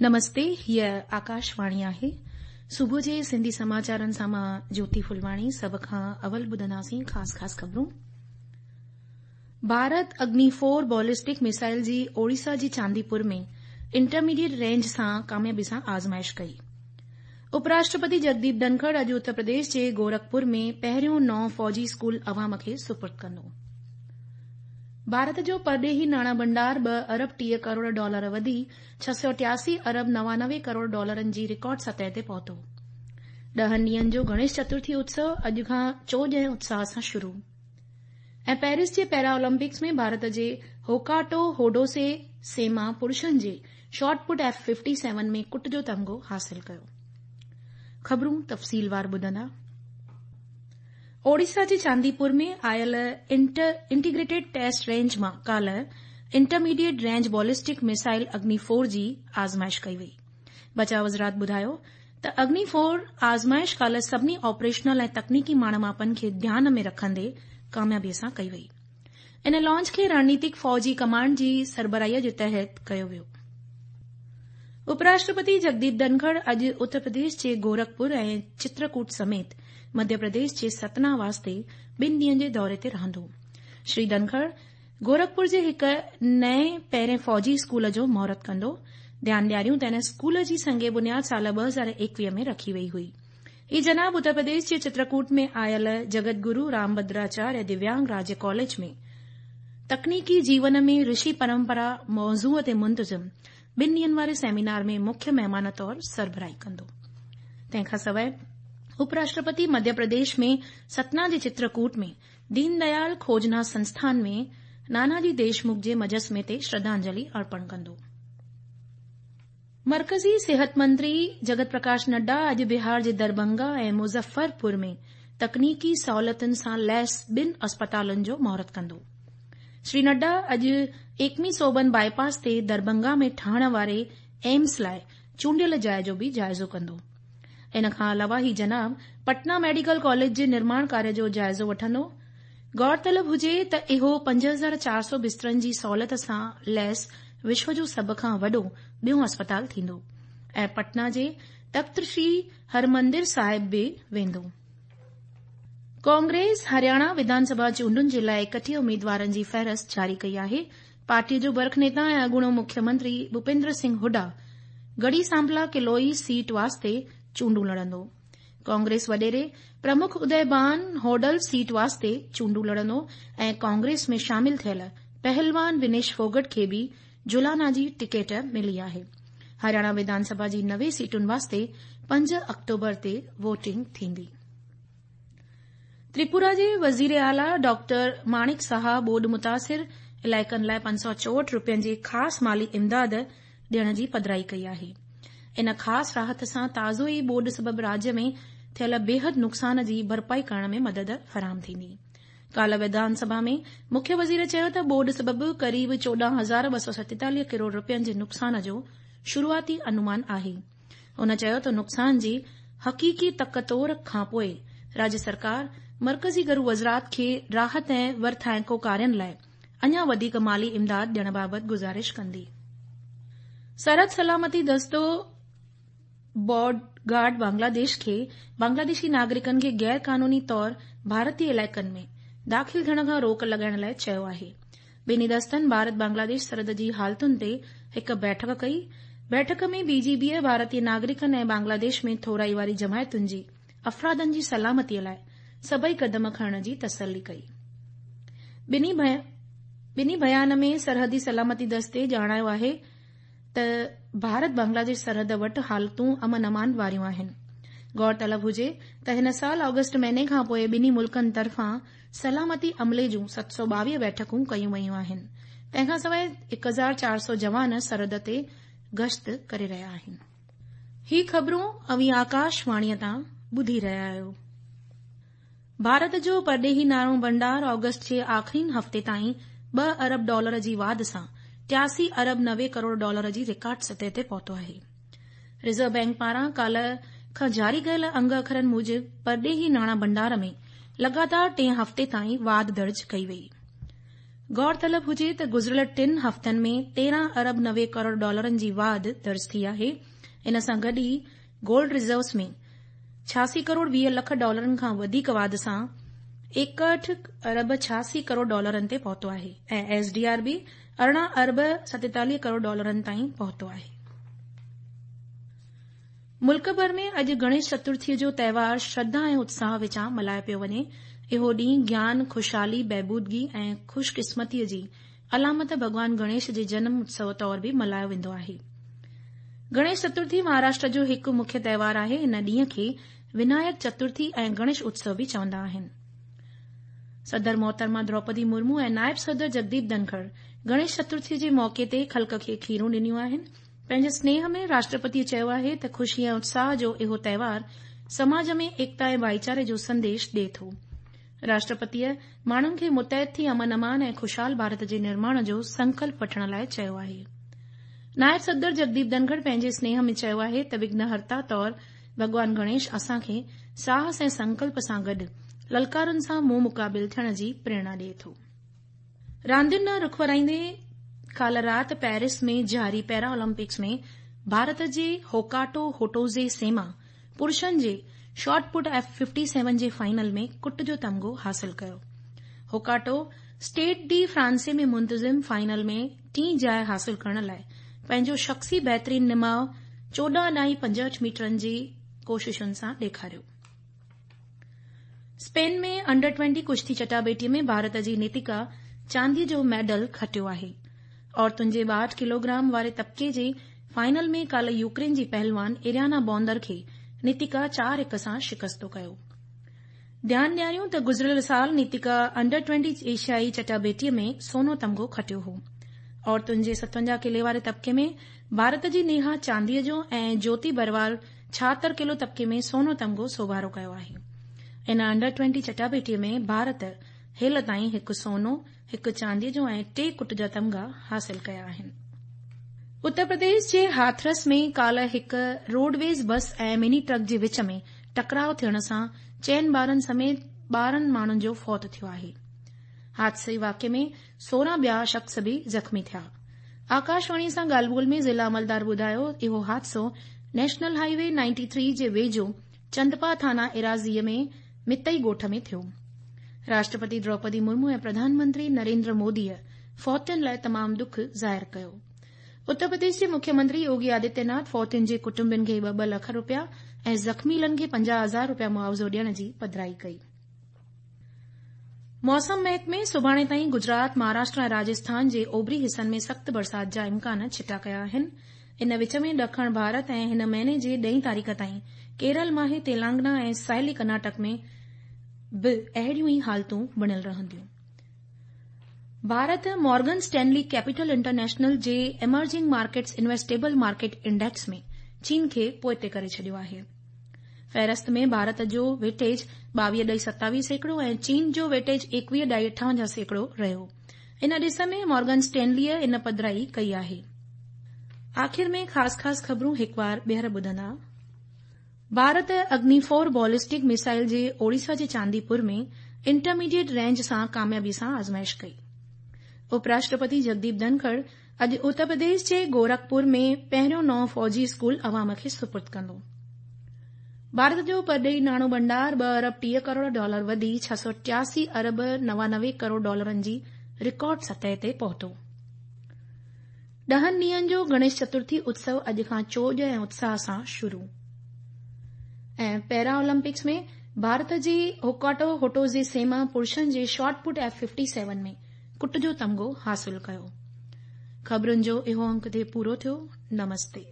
نمستي هيء آڪاشواڻي آهي. صبح جي سنڌي سماچارن سان مان جوتي ڦلواڻي سڀ کان اول ٻڌنداسين خاص خاص خبرون. ڀارت اگني فور بالسٽڪ ميسائل جي اوڙيسا جي چانديپور ۾ انٽرميڊيٽ رينج سان ڪاميابي سان آزمائش ڪئي. اپراشٽرپتي جگديپ ڌنکڙ اڄ اتر پرديش جي گورکپور ۾ پهريون نئون فوجي اسڪول عوام کي سپرد ڪندو. ڀارت جو پرڏيهي ناڻا ڀنڊار 2 ارب 30 ڪروڙ ڊالر وڌي 683 ارب 99 ڪروڙ ڊالرن جي رڪارڊ سطح تي پهتو. ڏهن ڏينهن جو گڻيش چترٿي اتسو اڄ کان چوڄ ۽ اتساهه سان شروع. ۽ پيرس جي پيرا اولمپڪس ۾ ڀارت جي هوڪاٽو هوڊوسي سيما پرشن جي شاٽ پٽ ايف 57 ۾ ڪٽ جو تمغو حاصل ڪيو. خبرون تفصيلوار ٻڌندا. اوڙيسا جي چانديپور ۾ آيل انٽيگريٽيڊ ٽيسٽ رينج مان ڪالهه intermediate range ballistic missile Agni four جي آزمائش ڪئي وئي. بچاء وزارت ٻڌايو ته اگني فور آزمائش ڪالهه سڀني آپريشنل ۽ تڪنيڪي ماڻ ماپن کي ڌيان ۾ رکندي ڪاميابي سان ڪئي وئي. ان لانچ کي رڻنيتڪ فوجي ڪمانڊ جي سربراهي جي تحت ڪيو ويو. اپراشٽرپتي جگديپ ڌنکڙ اڄ اتر پرديش جي گورکپور ۽ چترڪوٽ سميت مڌيه پرديش جي ستنا واسطي ٻن ڏينهن جي دوري تي رهندو. شري ڌنکڙ گورکپور جي هڪ نئين پهرين فوجي اسڪول جو مهورت ڪندو. ڌيان ڏياريون ته ان اسڪول جي سنگ بنياد سال 2021 ۾ رکي وئي هئي. هي جناب اتر پرديش جي چترڪوٽ ۾ آيل جگت گرو رامڀدراچاريه دويانگ راجيه ڪاليج ۾ تڪنيڪي جيون ۾ رشي پرمپرا موضوع تي منتظم ٻن ڏينهن واري سيمينار ۾ مکيه مهمان طور سربراهي ڪندو. تنهن کان سواء اپراشٽرپتي مڌيه پرديش ۾ ستنا جي چترڪوٽ ۾ دين ديال کوجنا سنسٿان ۾ ناناجي ديشمک جي مجسمي تي شرڌانجلي ارپڻ ڪندو. مرڪزي صحت منتري جگت پرڪاش نڊا اڄ بهار جي درڀنگا ۽ مظفرپور ۾ تڪنيڪي سهولتن سان ليس ٻن اسپتالن جو مهورت ڪندو. شري نڊا اڄ ايڪمي صوبن باء پاس تي درڀنگا ۾ ٺهڻ واري ايمس لاء چونڊيل جاء جو به جائزو ڪندو. ان کان علاوه هي جناب پٽنا ميڊيڪل ڪاليج جي نرماڻ ڪاريه جو جائزو وٺندو. غور طلب هجي ته اهو 5400 بسترن جي سهولت سان ليس وشو جو سڀ کان وڏو ٻيون اسپتال ٿيندو ۽ پٽنا جي تخت شري هرمندر صاحب به ويندو. ڪانگريس هرياڻا وڌان سڀا چونڊن جي لاء 31 اميدوارن جي فهرست جاري ڪئي آهي. پارٽي جو برک نيتا ۽ اڳوڻو مکيه منتري ڀوپيندر سنگهه هوڊا گڙهي سامپلا ڪلوئي سيٽ واسطي چونڊون لڙندو. ڪانگريس وڏيري پرمک ادي ڀان هوڊل سيٽ واسطي چونڊون لڙندو ۽ ڪانگريس ۾ شامل ٿيل پهلوان ونيش ڦوگٽ کي به جولانا جي ٽڪيٽ ملي آهي. هرياڻا وڌان سڀا جي 90 سيٽن واسطي 5 آڪٽوبر تي ووٽنگ ٿيندي. تريپورا جي وزير اعليٰ ڊاڪٽر ماڻڪ ساها ٻوڏ متاثر علائقن لاء 564 رپين جي خاص مالي امداد ڏيڻ جي پڌرائي ڪئي آهي. ان خاص راحت سان تازو ئي ٻوڏ سبب راجيه ۾ ٿيل بيحد نقصان جي ڀرپائي ڪرڻ ۾ مدد فراهم ٿيندي. ڪالهه وڌان سڀا ۾ مکيه وزير چيو ته ٻوڏ سبب قريب 14247 ڪروڙ رپين جي نقصان جو شروعاتي انومان آهي. هن چيو ته نقصان جي حقيقي تڪ تور کانپوء راجيه سرڪار مرڪزي گهرو وزارت کي راحت ۽ ورٿائڪو ڪارين لاء اڃا وڌيڪ مالي امداد ڏيڻ بابت گذارش ڪندي. سرحد سلامتي دستو بارڊ گارڊ بنگلاديش کي بنگلاديشي ناگرڪن کي غير قانوني طور ڀارتي علائقن ۾ داخل ٿيڻ کان روڪ لڳائڻ لاء چيو آهي. ٻنهي دستن ڀارت بنگلاديش سرحد جي حالتن تي هڪ بيٺڪ ڪئي. بيٺڪ ۾ بي جي بيء ڀارتي ناگرڪن ۽ بنگلاديش ۾ ٿورائي واري جماعتن جي افرادن جي سلامتي لاء سڀئي قدم کڻڻ جي تسلي ڪئي. ٻنهي بيان ۾ سرحدي سلامتي دستي ڄاڻايو آهي ته ڀارت بنگلاديش سرحد وٽ حالتون امن امان واريون آهن. غور طلب هجي ته هن سال آگسٽ مهيني کانپوء ٻنهي ملڪن طرفان سلامتي عملي جون 722 بيٺڪون ڪيون ويون آهن. تنهن کانسواء 1400 جوان سرحد تي گشت ڪري رهيا آهن. هي خبرون اوهين آڪاش واڻيء تان ٻڌي رهيا آهيو. ڀارت جو پرڏيهي ناڻو ڀنڊار آگسٽ جي آخرين هفتي تائين ٻه ارب ڊالر جي واڌ سان 83 ارب 90 ڪروڙ ڊالر جي رڪارڊ سطح تي پهتو آهي. ريزرو بئنڪ پاران ڪالهه کان جاري ڪيل انگ اکرن موجب پرڏيهي ناڻا ڀنڊار ۾ لڳاتار ٽئين هفتي تائين واڌ درج ڪئي وئي. غور طلب هجي ته گذريل ٽن هفتن ۾ 13 ارب 90 ڪروڙ ڊالرن جي واڌ درج ٿي آهي. ان سان گڏ ئي گولڊ ريزروز ۾ 86 ڪروڙ 20 لک ڊالرن کان وڌيڪ واڌ سان 61 ارب 86 ڪروڙ ڊالرن تي پهتو آهي ۽ ايس ڊي آر به 18 ارب 47 ڪروڙ ڊالرن تائين پهتو آهي. ملڪ ڀر ۾ اڄ گڻيش چترٿيء جو تهوار شرڌا ۽ اتساهه وچان ملهايو پيو وڃي. اهو ڏينهن گيان، خوشحالي، بهبودگي ۽ خوش قسمتيء جي علامت ڀڳوان گڻيش جي جنم اتسو طور به ملهايو ويندو آهي. گڻيش چترٿي مهاراشٽر جو هڪ مکيه تهوار آهي. ان ڏينهن کي ونايڪ چترٿي ۽ گڻيش اتسو به چوندا آهن. صدر محترمه دروپدي مرمو ۽ نائب صدر جگديپ ڌنکڙ گڻيش چترٿيء جي موقعي تي خلق کي کيرون ڏنيون آهن. پنهنجي سنيهه ۾ راشٽرپتيء چيو آهي ته خوشي ۽ اتساهه جو اهو تهوار سماج ۾ ايڪتا ۽ ڀائيچاري جو سنديش ڏئي ٿو. راشٽرپتيء ماڻهن کي متحد ٿي امن امان ۽ خوشحال ڀارت جي نرماڻ جو سنڪلپ وٺڻ لاء چيو آهي. نائب صدر جگديپ ڌنکڙ پنهنجي سنيهه ۾ چيو آهي ته وگهنهرتا طور ڀڳوان گڻيش اسان کي ساهس ۽ سنڪلپ سان گڏ للڪارن سان منهن مقابل ٿيڻ جي پريرڻا ڏئي ٿو. راندين ڏانهن رخ ورائيندي ڪالهه رات پيرس ۾ جاري پيرا اولمپڪس ۾ ڀارت جي هوڪاٽو هوٽوزي سيما پرشن جي شاٽ پٽ ايف ففٽي سيون جي فائنل ۾ ڪٽ جو تمغو حاصل ڪيو. هوڪاٽو اسٽيڊ ڊي فرانسي ۾ منتظم فائنل ۾ ٽين جاء حاصل ڪرڻ لاء پنهنجو شخصي بهترين نماء چوڏهن ڏهائي پنجهٺ ميٽرن جي ڪوششن سان ڏيکاريو. اسپين ۾ انڊر ٽوئنٽي ڪشتي چٽاڀيٽي ۾ ڀارت جي نيتيڪا چاندي جو ميڊل کٽيو آهي. عورتن جي 62 ڪلوگرام واري طبقي جي فائنل ۾ ڪالهه يوڪرين جي پهلوان اريانا بوندر کي نيتيڪا 4 هڪ سان شڪست ڪيو. ڌيان ڏياريون ته گذريل سال نيتيڪا انڊر ٽوئنٽي ايشيائي چٽاڀيٽي ۾ سونو تمغو کٽيو هو. عورتن جي 57 ڪلي واري طبقي ۾ ڀارت جي نيها چاندي جو ۽ جوتي بروال 76 ڪلو طبقي ۾ سونو تمغو سوڀارو ڪيو آهي. ان انڊر ٽوئنٽي چٽاڀيٽي ۾ ڀارت هيل تائين هڪ سونو، هڪ چاندي جو ۽ ٽي ڪٽ جا تمغا حاصل ڪيا آهن. اتر پرديش جي هاٿرس ۾ ڪالهه هڪ روڊويز بس ۽ مني ٽرڪ جي وچ ۾ ٽڪراء ٿيڻ سان چئن ٻارن سميت 12 ماڻهن جو فوت ٿيو آهي. حادثي واقعي ۾ 16 ٻيا شخص به زخمي ٿيا. آڪاشواڻي سان ڳالهه ٻولهه ۾ ضلع عملدار ٻڌايو اهو حادثو national high V ninety three جي ويجهو چندپا ٿانا ايراضيء ۾ متئي ڳوٺ ۾ ٿيو. راشٽرپتي دروپدي مرمو ۽ پرڌان منتري نريندر موديء فوتين لاء تمام ڏک ظاهر ڪيو. اتر پرديش جي مکيه منتري يوگي آدتيه ناٿ فوتين جي ڪٽنبن کي ٻه ٻه لک رپيا ۽ زخميلن کي 50 هزار رپيا معاوضو ڏيڻ جي پڌرائي ڪئي. موسم محڪمي سڀاڻي تائين گجرات، مهاراشٽر ۽ راجسٿان جي اوڀري حصن ۾ سخت برسات جا امڪان چٽا ڪيا آهن. ان وچ ۾ ڏکڻ ڀارت ۽ هن مهيني جي ڏهين تاريخ تائين ڪيرل، ماهي، تيلانگنا ۽ ساحلي ڪرناٽڪ ۾ به اهڙيون ئي حالتون بڻيل رهنديون. Bharat Morgan Stanley capital international جي emerging markets investable market index ۾ چين کي پوئتي ڪري ڇڏيو آهي. فهرست ۾ ڀارت جو ويٽيج ٻاويهه ڏهائي ستاويهه سيڪڙو ۽ چين جو ويٽيج ايڪويهه ڏهائي اٺاونجاهه سيڪڙو رهيو. ان ڏس ۾ مورگن اسٽينليء ان پڌرائي ڪئي آهي. آخر ۾ خاص خاص خبرون هڪ وار ٻيهر ٻڌندا. ڀارت اگني فور بالسٽڪ ميزائل جي اوڙيسا جي چانديپور ۾ انٽرميڊيٽ رينج سان ڪاميابي سان آزمائش ڪئي. اپراشٽرپتي جگديپ ڌنکڙ اڄ اتر پرديش جي گورکپور ۾ پهريون نئون فوجي اسڪول عوام کي سپرد ڪندو. ڀارت جو پرڏيهي ناڻو ڀنڊار ٻه ارب 30 ڪروڙ ڊالر وڌي 683 ارب 99 ڪروڙ ڊالرن جي رڪارڊ سطح تي پهتو. ڏهن ڏينهن جو گڻيش چترٿي اتسو اڄ کان چوڄ ۽ اتساهه سان شروع. ۽ پيرا اولمپڪس ۾ ڀارت جي هوڪاٽو هوٽوزي سيما پرشن جي شاٽ پٽ ايف ففٽي سيون ۾ ڪٽ جو تمغو حاصل ڪيو. خبرن جو اهو انڪ اتي پورو ٿيو. نمستي.